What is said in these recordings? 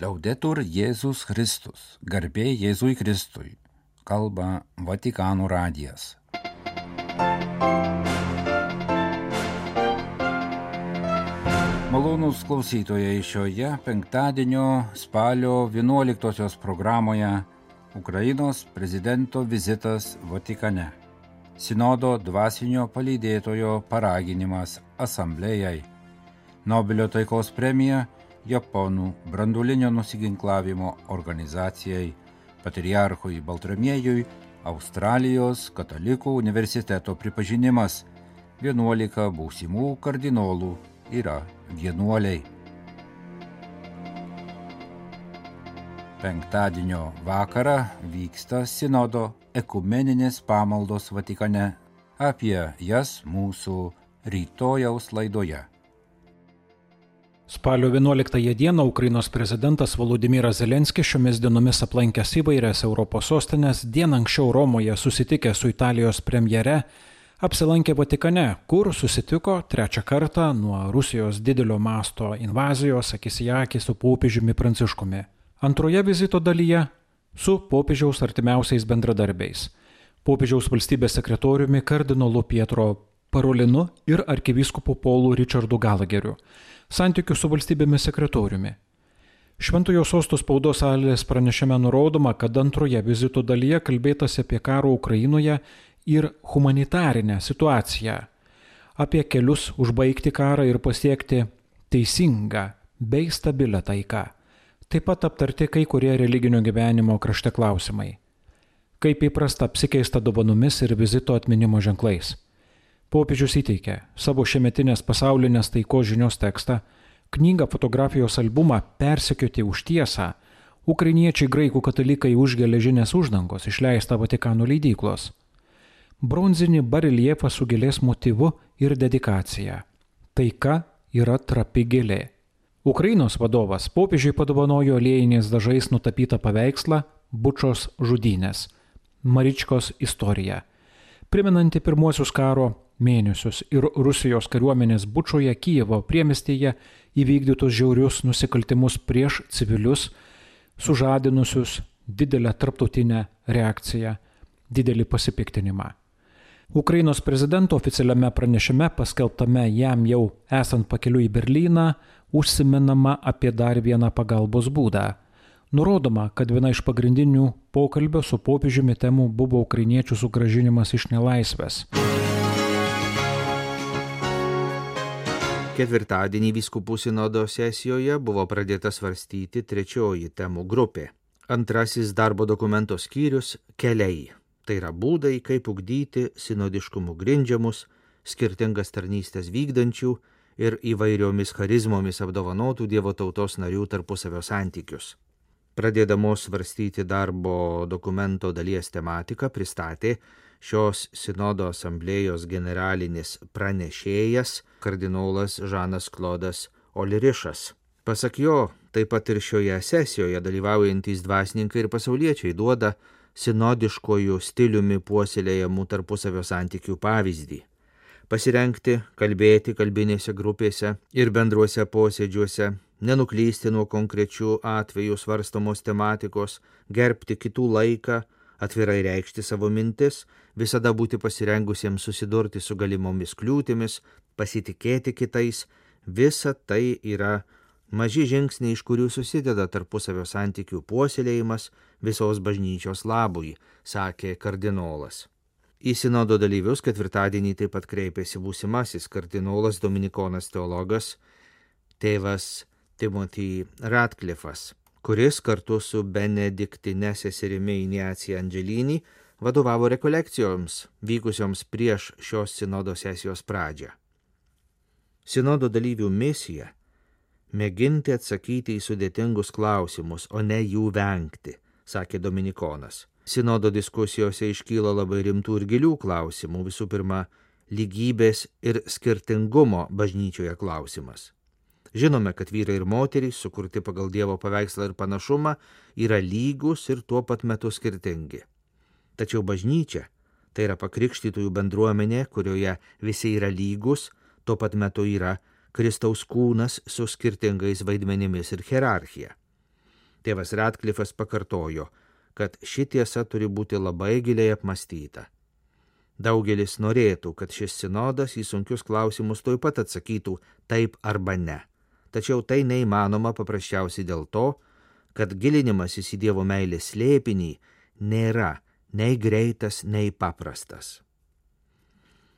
Liaudetur Jėzus Kristus, garbė Jėzui Kristui, kalba Vatikano radijas. Malonūs klausytojai, šioje penktadienio spalio 11 programoje Ukrainos prezidento vizitas Vatikane. Sinodo dvasinio palydėtojo paraginimas asamblėjai. Nobelio taikos premija Japonų branduolinio nusiginklavimo organizacijai, patriarchui Baltramiejui, Australijos katalikų universiteto pripažinimas. 11 būsimų kardinolų yra vienuoliai. Penktadienio vakarą vyksta sinodo ekumeninės pamaldos Vatikane. Apie jas mūsų rytojaus laidoje. Spalio 11 dieną Ukrainos prezidentas Volodymyras Zelenskis šiomis dienomis aplankęs įvairias Europos sostinės, dieną anksčiau Romoje susitikęs su Italijos premjere, apsilankė Vatikane, kur susitiko trečią kartą nuo Rusijos didelio masto invazijos akis į akį su popiežiumi Pranciškumi. Antroje vizito dalyje su popiežiaus artimiausiais bendradarbiais, popiežiaus valstybės sekretoriumi kardinolu Pietro Parolinu ir arkivyskupu Paulu Richardu Galageriu, santykių su valstybėmis sekretoriumi. Šventojo sosto spaudos salės pranešime nurodoma, kad antroje vizito dalyje kalbėtasi apie karo Ukrainoje ir humanitarinę situaciją, apie kelius užbaigti karą ir pasiekti teisingą bei stabilią taiką. Taip pat aptarti kai kurie religinio gyvenimo krašte klausimai. Kaip įprasta apsikeista dovanomis ir vizito atminimo ženklais. Popiežius įteikė savo šiemetinės pasaulinės taikos žinios tekstą, knygą fotografijos albumą Persekioti už tiesą, ukrainiečiai graikų katalikai už geležinės uždangos išleistą Vatikano leidyklos, bronzinį bareljefą su gėlės motyvu ir dedikacija. Taika yra trapi gėlė. Ukrainos vadovas popiežiui padovanojo aliejiniais dažais nutapytą paveikslą Bučos žudynės, Maričkos istorija, primenanti pirmuosius karo mėnesius ir Rusijos kariuomenės Bučoje Kijevo priemiestyje įvykdytus žiaurius nusikaltimus prieš civilius, sužadinusius didelę tarptautinę reakciją, didelį pasipiktinimą. Ukrainos prezidento oficialiame pranešime, paskelbtame jam jau esant pakeliui į Berlyną, užsimenama apie dar vieną pagalbos būdą. Nurodoma, kad viena iš pagrindinių pokalbio su popiežiumi temų buvo ukrainiečių sugrąžinimas iš nelaisvės. Ketvirtadienį vyskupų sinodo sesijoje buvo pradėta svarstyti trečioji temų grupė. Antrasis darbo dokumento skyrius – keliai. Tai yra būdai, kaip ugdyti sinodiškumu grindžiamus, skirtingas tarnystės vykdančių ir įvairiomis charizmomis apdovanotų Dievo tautos narių tarpusavio santykius. Pradėdamos svarstyti darbo dokumento dalies tematiką pristatė šios sinodo asamblėjos generalinis pranešėjas kardinolas Žanas Klodas Olirišas. Pasak jo, taip pat ir šioje sesijoje dalyvaujantys dvasininkai ir pasauliečiai duoda sinodiškojų stiliumi puoselėjamų tarpusavio santykių pavyzdį. Pasirengti, kalbėti kalbinėse grupėse ir bendruose posėdžiuose, nenuklysti nuo konkrečių atvejų svarstomos tematikos, gerbti kitų laiką, atvirai reikšti savo mintis, visada būti pasirengusiems susidurti su galimomis kliūtimis, pasitikėti kitais, visa tai yra maži žingsniai, iš kurių susideda tarpusavio santykių puoselėjimas visos bažnyčios labui, sakė kardinolas. Į sinodo dalyvius ketvirtadienį taip pat kreipėsi būsimasis kardinolas dominikonas teologas tėvas Timothy Ratcliffas, kuris kartu su benediktine seserimi Ignacija Angelini vadovavo rekolekcijoms vykusioms prieš šios sinodo sesijos pradžią. Sinodo dalyvių misija – mėginti atsakyti į sudėtingus klausimus, o ne jų vengti, sakė dominikonas. Sinodo diskusijose iškyla labai rimtų ir gilių klausimų, visų pirma, lygybės ir skirtingumo bažnyčioje klausimas. Žinome, kad vyrai ir moterys, sukurti pagal Dievo paveikslą ir panašumą, yra lygus ir tuo pat metu skirtingi. Tačiau bažnyčia – tai yra pakrikštytųjų bendruomenė, kurioje visi yra lygus, tuo pat metu yra Kristaus kūnas su skirtingais vaidmenimis ir hierarchija. Tėvas Radcliffas pakartojo, kad ši tiesa turi būti labai giliai apmąstyta. Daugelis norėtų, kad šis sinodas į sunkius klausimus tuoj pat atsakytų taip arba ne. Tačiau tai neįmanoma paprasčiausiai dėl to, kad gilinimasis į Dievo meilės slėpinį nėra nei greitas, nei paprastas.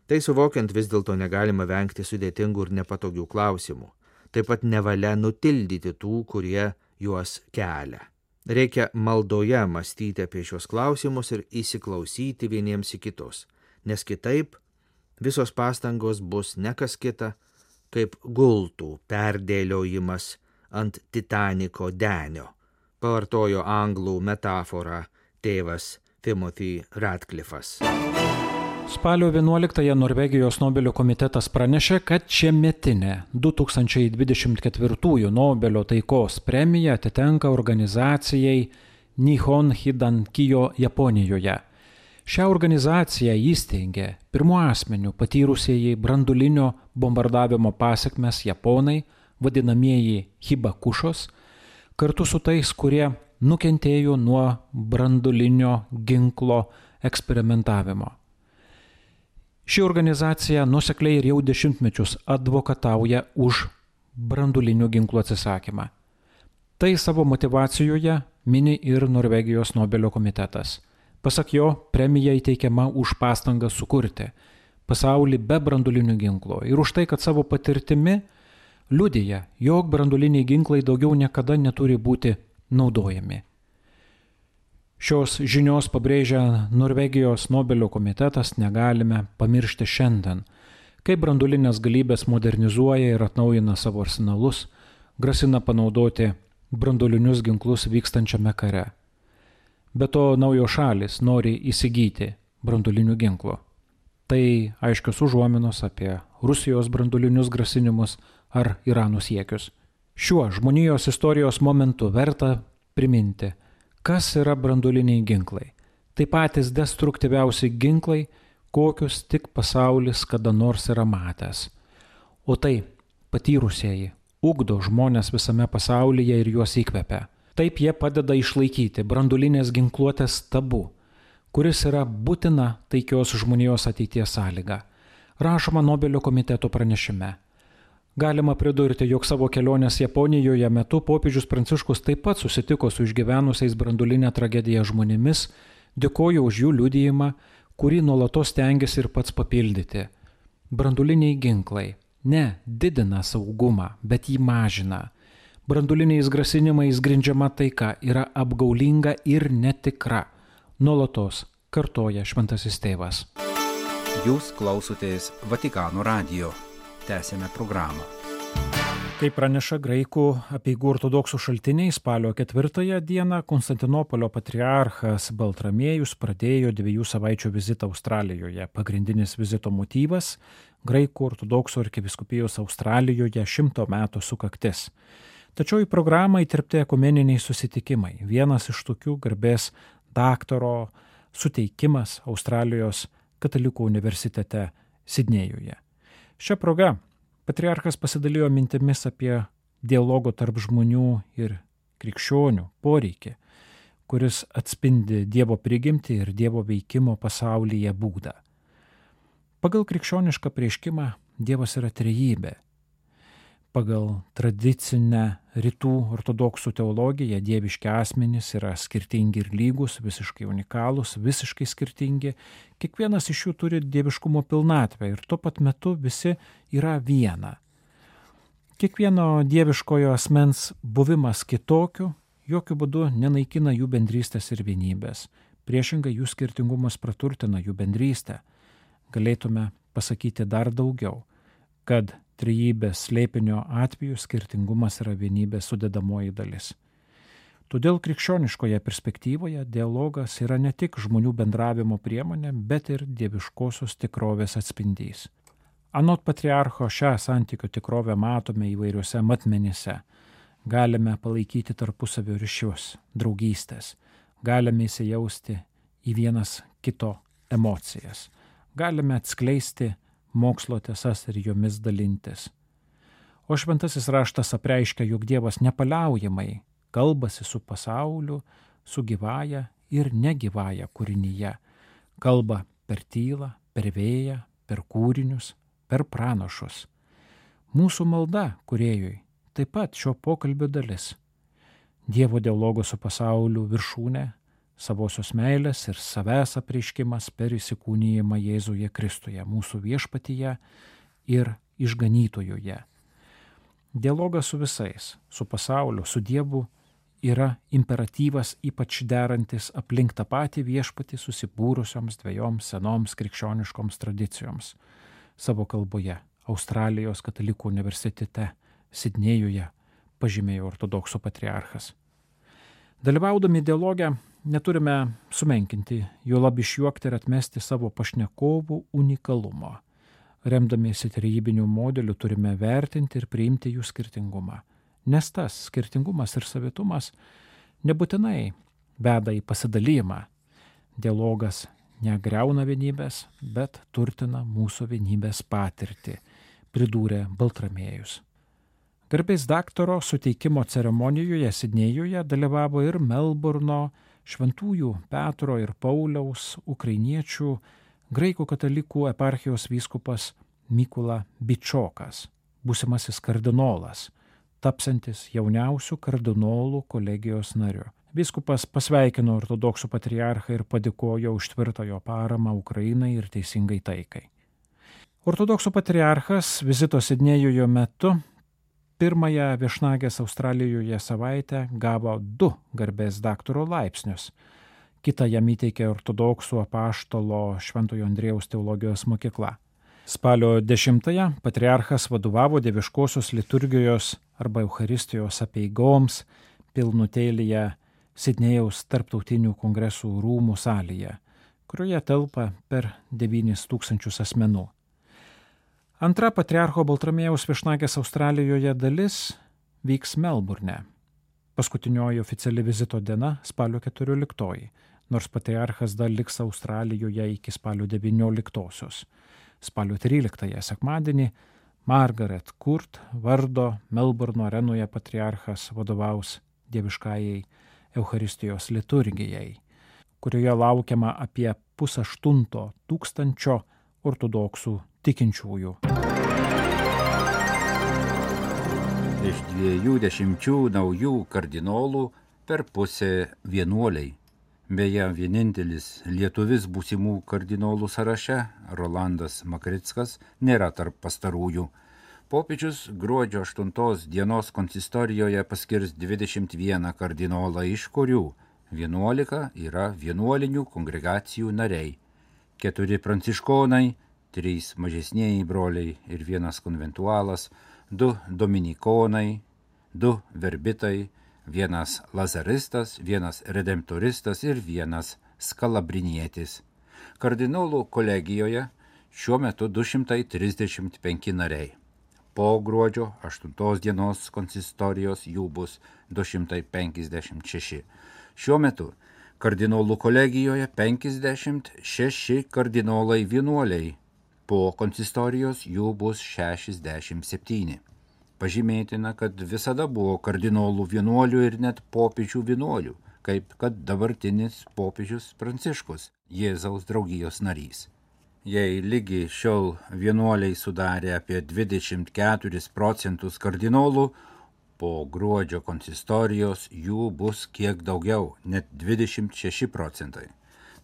Tai suvokiant vis dėlto negalima vengti sudėtingų ir nepatogių klausimų. Taip pat nevalia nutildyti tų, kurie juos kelia. Reikia maldoje mąstyti apie šios klausimus ir įsiklausyti vieniems į kitus, nes kitaip visos pastangos bus ne kas kita, kaip gultų perdėliojimas ant Titaniko denio, pavartojo anglų metaforą tėvas Timothy Radcliffas. Spalio 11-ąją Norvegijos Nobelio komitetas pranešė, kad šiemetinė 2024 Nobelio taikos premija atitenka organizacijai Nihon Hidankijo Japonijoje. Šią organizaciją įsteigė pirmų asmenių patyrusieji branduolinio bombardavimo pasekmes japonai, vadinamieji hibakušos, kartu su tais, kurie nukentėjo nuo branduolinio ginklo eksperimentavimo. Ši organizacija nuosekliai ir jau dešimtmečius advokatauja už branduolinių ginklų atsisakymą. Tai savo motivacijoje mini ir Norvegijos Nobelio komitetas. Pasak jo, premija įteikiama už pastangą sukurti pasaulį be branduolinių ginklų ir už tai, kad savo patirtimi liudija, jog branduoliniai ginklai daugiau niekada neturi būti naudojami. Šios žinios pabrėžia Norvegijos Nobelio komitetas negalime pamiršti šiandien, kai branduolinės galybės modernizuoja ir atnaujina savo arsenalus, grasina panaudoti branduolinius ginklus vykstančiame kare. Be to naujos šalys nori įsigyti branduolinių ginklų. Tai aiškios užuominos apie Rusijos branduolinius grasinimus ar Irano siekius. Šiuo žmonijos istorijos momentu verta priminti, kas yra branduoliniai ginklai. Tai patys destruktyviausi ginklai, kokius tik pasaulis kada nors yra matęs. O tai patyrusieji ugdo žmonės visame pasaulyje ir juos įkvepia. Taip jie padeda išlaikyti branduolinės ginkluotės tabu, kuris yra būtina taikios žmonijos ateities sąlyga. Rašoma Nobelio komiteto pranešime. Galima pridurti, jog savo kelionės Japonijoje metu popiežius Pranciškus taip pat susitiko su išgyvenusiais branduolinę tragediją žmonėmis, dėkojo už jų liudijimą, kurį nuolatos stengiasi ir pats papildyti. Branduoliniai ginklai ne didina saugumą, bet jį mažina. Branduoliniais grasinimais grindžiama taika yra apgaulinga ir netikra. Nuolatos kartoja Šventasis Tėvas. Jūs klausotės Vatikano radijo. Tęsėme programą. Kaip praneša graikų apeigų ortodoksų šaltiniai, spalio 4 dieną Konstantinopolio patriarchas Baltramiejus pradėjo 2 savaičių vizitą Australijoje. Pagrindinis vizito motyvas – graikų ortodoksų arkivyskupijos Australijoje 100 metų sukaktis. Tačiau į programą įterpti ekumeniniai susitikimai. Vienas iš tokių garbės daktaro suteikimas Australijos katalikų universitete Sidnėjuje. Šią progą patriarchas pasidalijo mintimis apie dialogo tarp žmonių ir krikščionių poreikį, kuris atspindi Dievo prigimtį ir Dievo veikimo pasaulyje būdą. Pagal krikščionišką apreiškimą Dievas yra trejybė. Pagal tradicinę rytų ortodoksų teologiją dieviški asmenys yra skirtingi ir lygus, visiškai unikalūs, visiškai skirtingi. Kiekvienas iš jų turi dieviškumo pilnatvę ir tuo pat metu visi yra viena. Kiekvieno dieviškojo asmens buvimas kitokiu jokių būdų nenaikina jų bendrystės ir vienybės. Priešingai jų skirtingumas praturtina jų bendrystę. Galėtume pasakyti dar daugiau, kad trejybės slėpinio atveju skirtingumas yra vienybės sudedamoji dalis. Todėl krikščioniškoje perspektyvoje dialogas yra ne tik žmonių bendravimo priemonė, bet ir dieviškosios tikrovės atspindys. Anot patriarcho šią santykio tikrovę matome įvairiuose matmenyse. Galime palaikyti tarpusavio ryšius, draugystės. Galime įsijausti į vienas kito emocijas. Galime atskleisti mokslo tiesas ir jomis dalintis. O šventasis raštas apreiškia, jog Dievas nepaliaujamai kalbasi su pasauliu, su gyvąja ir negyvąja kūrinyje. Kalba per tylą, per vėją, per kūrinius, per pranašus. Mūsų malda Kūrėjui taip pat šio pokalbio dalis. Dievo dialogo su pasauliu viršūnė, savosios meilės ir savęs apreiškimas per įsikūnijimą Jėzuje Kristuje, mūsų viešpatyje ir išganytojoje. Dialogas su visais, su pasauliu, su Dievu yra imperatyvas ypač derantis aplink tą patį viešpatį susibūrusioms dviejoms senoms krikščioniškoms tradicijoms savo kalboje Australijos katalikų universitete Sidnėjuje, pažymėjo ortodoksų patriarchas. Dalyvaudami dialoge neturime sumenkinti, juolab išjuokti ir atmesti savo pašnekovų unikalumo. Remdamiesi trejybiniu modeliu turime vertinti ir priimti jų skirtingumą, nes tas skirtingumas ir savitumas nebūtinai veda į pasidalijimą. Dialogas negriauna vienybės, bet turtina mūsų vienybės patirtį, pridūrė Baltramiejus. Garbės daktaro suteikimo ceremonijoje Sidnėjuje dalyvavo ir Melburno Šventųjų Petro ir Pauliaus ukrainiečių graikų katalikų eparchijos vyskupas Mykula Bičokas, būsimasis kardinolas, tapsantis jauniausių kardinolų kolegijos nariu. Vyskupas pasveikino ortodoksų patriarchą ir padėkojo už tvirtą jo paramą Ukrainai ir teisingai taikai. Ortodoksų patriarchas vizito Sidnėjuje metu pirmąją viešnagės Australijoje savaitę gavo 2 garbės daktaro laipsnius. Kitą jam įteikė ortodoksų apaštalo Šventojo Andriejaus teologijos mokykla. Spalio 10-ąją patriarchas vadovavo dieviškosios liturgijos arba Eucharistijos apeigoms pilnutėlyje Sidnėjaus tarptautinių kongresų rūmų salėje, kurioje telpa per 9,000 asmenų. Antra patriarcho Baltramiejaus viešnagės Australijoje dalis vyks Melburne. Paskutinioji oficiali vizito diena spalio 14, nors patriarchas dar liks Australijoje iki spalio 19. Spalio 13 sekmadienį Margaret Court vardo Melburno arenoje patriarchas vadovaus dieviškajai Eucharistijos liturgijai, kurioje laukiama apie 5,8 ortodoksų tikinčiųjų. Iš 20 naujų kardinolų per pusę vienuoliai. Beje, vienintelis lietuvis būsimų kardinolų sąraše, Rolandas Makrickas, nėra tarp pastarųjų. Popiežius gruodžio 8 dienos konsistorijoje paskirs 21 kardinolą, iš kurių 11 yra vienuolinių kongregacijų nariai, 4 pranciškonai, 3 mažesnieji broliai ir 1 konventualas, 2 dominikonai, 2 verbitai, 1 lazaristas, 1 redemptoristas ir 1 skalabrinietis. Kardinolų kolegijoje šiuo metu 235 nariai. Po gruodžio 8 dienos konsistorijos jų bus 256. Šiuo metu kardinolų kolegijoje 56 kardinolai vienuoliai. Po konsistorijos jų bus 67. Pažymėtina, kad visada buvo kardinolų vienuolių ir net popiežių vienuolių, kaip kad dabartinis popiežius Pranciškus, Jėzaus draugijos narys. Jei lygi šiol vienuoliai sudarė apie 24% kardinolų, po gruodžio konsistorijos jų bus kiek daugiau, net 26%.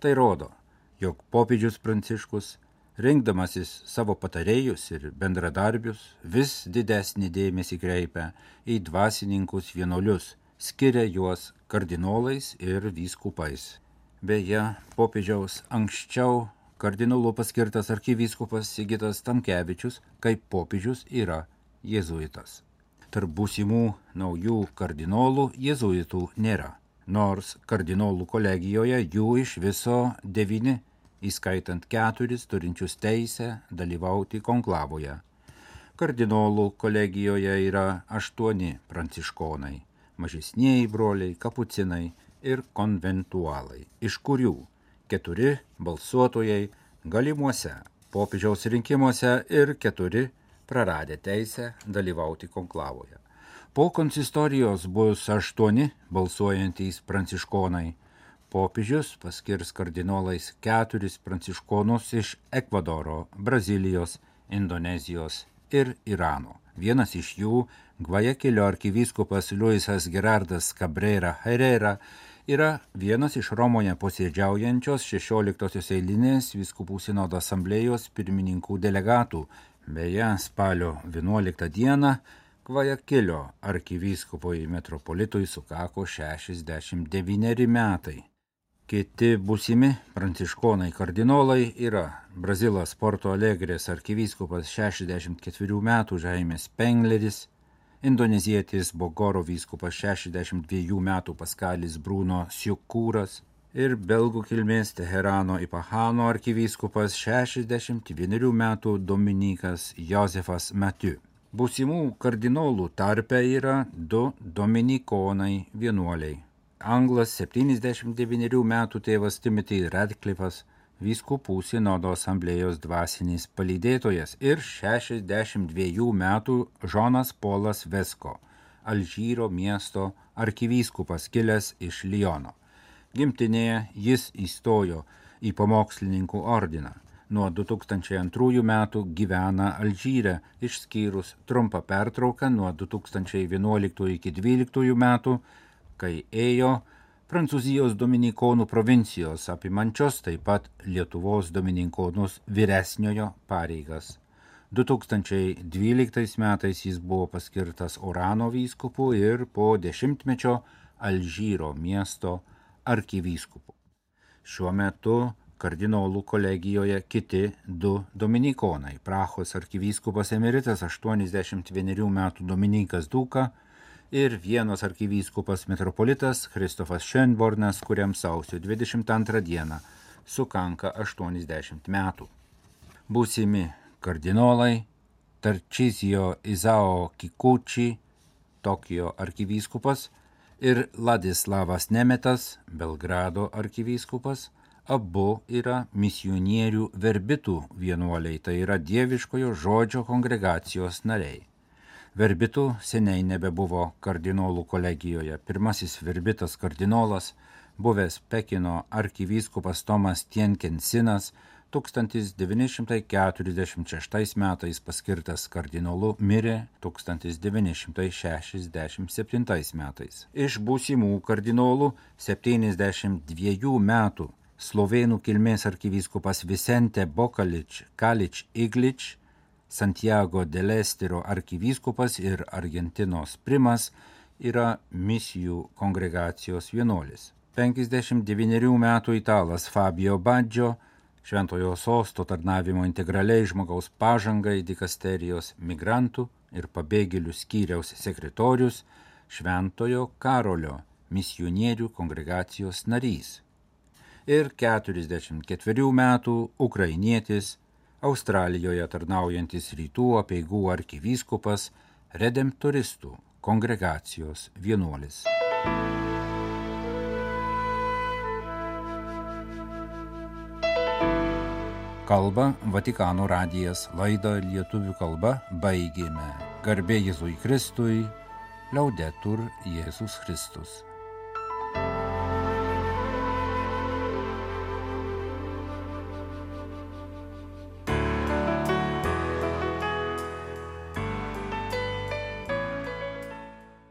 Tai rodo, jog popiežius Pranciškus, rinkdamasis savo patarėjus ir bendradarbius, vis didesnį dėmesį kreipia į dvasininkus vienuolius, skiria juos kardinolais ir vyskupais. Beje, popiežiaus anksčiau kardinolu paskirtas arkivyskupas Sigitas Tamkevičius kaip popiežius yra jėzuitas. Tarp būsimų naujų kardinolų jėzuitų nėra, nors kardinolų kolegijoje jų iš viso 9, įskaitant 4 turinčius teisę dalyvauti konklavoje. Kardinolų kolegijoje yra 8 pranciškonai, mažesnieji broliai, kapucinai ir konventualai, iš kurių 4 balsuotojai galimuose popiežiaus rinkimuose ir 4 praradę teisę dalyvauti konklavoje. Po konsistorijos bus 8 balsuojantys pranciškonai. Popiežius paskirs kardinolais 4 pranciškonus iš Ekvadoro, Brazilijos, Indonezijos ir Irano. Vienas iš jų, Gvajakilio arkivyskupas Luisas Gerardas Cabrera Herrera, yra vienas iš Romoje posėdžiaujančios 16 eilinės vyskupų sinodo asamblėjos pirmininkų delegatų. Beje, spalio 11 dieną Gvajakilio arkivyskupui metropolitui sukako 69 metai. Kiti būsimi pranciškonai kardinolai yra Brazilas Porto Alegrės arkivyskupas 64 metų Jaime Spengleris, indonezietis Bogoro vyskupas 62 metų Paskalis Bruno Siukūras ir belgų kilmės Teherano Ipahano arkivyskupas 61 metų Dominikas Josefas Mathieu. Būsimų kardinolų tarpe yra 2 dominikonai vienuoliai. Anglas 79 metų tėvas Timothy Radcliffas, vyskupų sinodo asamblėjos dvasinis palydėtojas, ir 62 metų Žonas Polas Vesko, Alžyro miesto arkivyskupas kilęs iš Liono. Gimtinėje jis įstojo į pamokslininkų ordiną. Nuo 2002 metų gyvena Alžyre, išskyrus trumpą pertrauką nuo 2011 iki 2012 metų, kai ėjo Prancūzijos dominikonų provincijos apimančios taip pat Lietuvos dominikonus vyresniojo pareigas. 2012 metais jis buvo paskirtas Orano vyskupu ir po 10-mečio Alžyro miesto arkivyskupu. Šiuo metu kardinolų kolegijoje kiti 2 dominikonai. Prahos arkivyskupas emeritas 81 metų Dominikas Duka ir Vienos arkivyskupas metropolitas Kristofas Schönbornas, kuriam sausio 22 dieną sukanka 80 metų. Būsimi kardinolai Tarcísio Izao Kikuchi, Tokijo arkivyskupas, ir Ladislavas Nemetas, Belgrado arkivyskupas, abu yra misionierių verbitų vienuoliai, tai yra dieviškojo žodžio kongregacijos nariai. Verbitų seniai nebebuvo kardinolų kolegijoje. Pirmasis verbitas kardinolas, buvęs Pekino arkivyskupas Tomas Tienkensinas, 1946 metais paskirtas kardinolu, mirė 1967 metais. Iš būsimų kardinolų 72 metų slovėnų kilmės arkivyskupas Vicente Bokalič Kalič Iglič, Santiago del Estero arkivyskupas ir Argentinos primas yra misijų kongregacijos vienuolis. 59 metų italas Fabio Baggio, Šventojo Sosto tarnavimo integraliai žmogaus pažangai dikasterijos migrantų ir pabėgėlių skyriaus sekretorius, Šventojo Karolio misionierių kongregacijos narys. Ir 44 metų ukrainietis, Australijoje tarnaujantis rytų apeigų arkivyskupas, redemptoristų kongregacijos vienuolis. Kalba Vatikano radijas, laidą lietuvių kalba baigėme. Garbė Jėzui Kristui, Laudetur Jėzus Kristus.